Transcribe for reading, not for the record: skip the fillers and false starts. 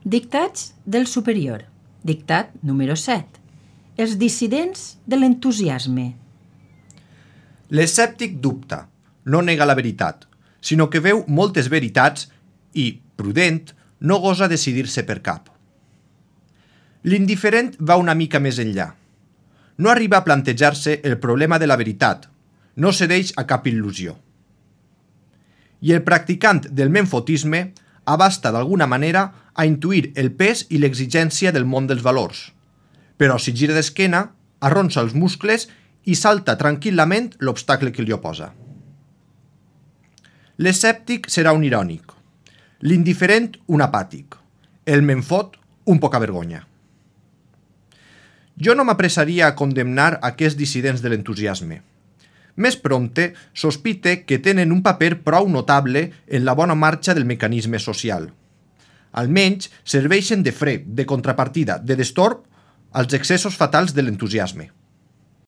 Dictats del superior. Dictat número 7. Els dissidents de l'entusiasme. L'escèptic dubta, no nega la veritat, sinó que veu moltes veritats i, prudent, no gosa decidir-se per cap. L'indiferent va una mica més enllà. No arriba a plantejar-se el problema de la veritat, no cedeix a cap il·lusió. I el practicant del menfotisme abasta d'alguna manera a intuir el pes i l'exigència del món dels valors, però si gira d'esquena, arronsa els muscles i salta tranquil·lament l'obstacle que li oposa. L'escèptic serà un irònic, l'indiferent un apàtic, el menfot un pocavergonya. Jo no m'apressaria a condemnar aquests dissidents de l'entusiasme. Més prompte sospite que tenen un paper prou notable en la bona marxa del mecanisme social. Almenys serveixen de fre, de contrapartida, de destorb als excessos fatals de l'entusiasme.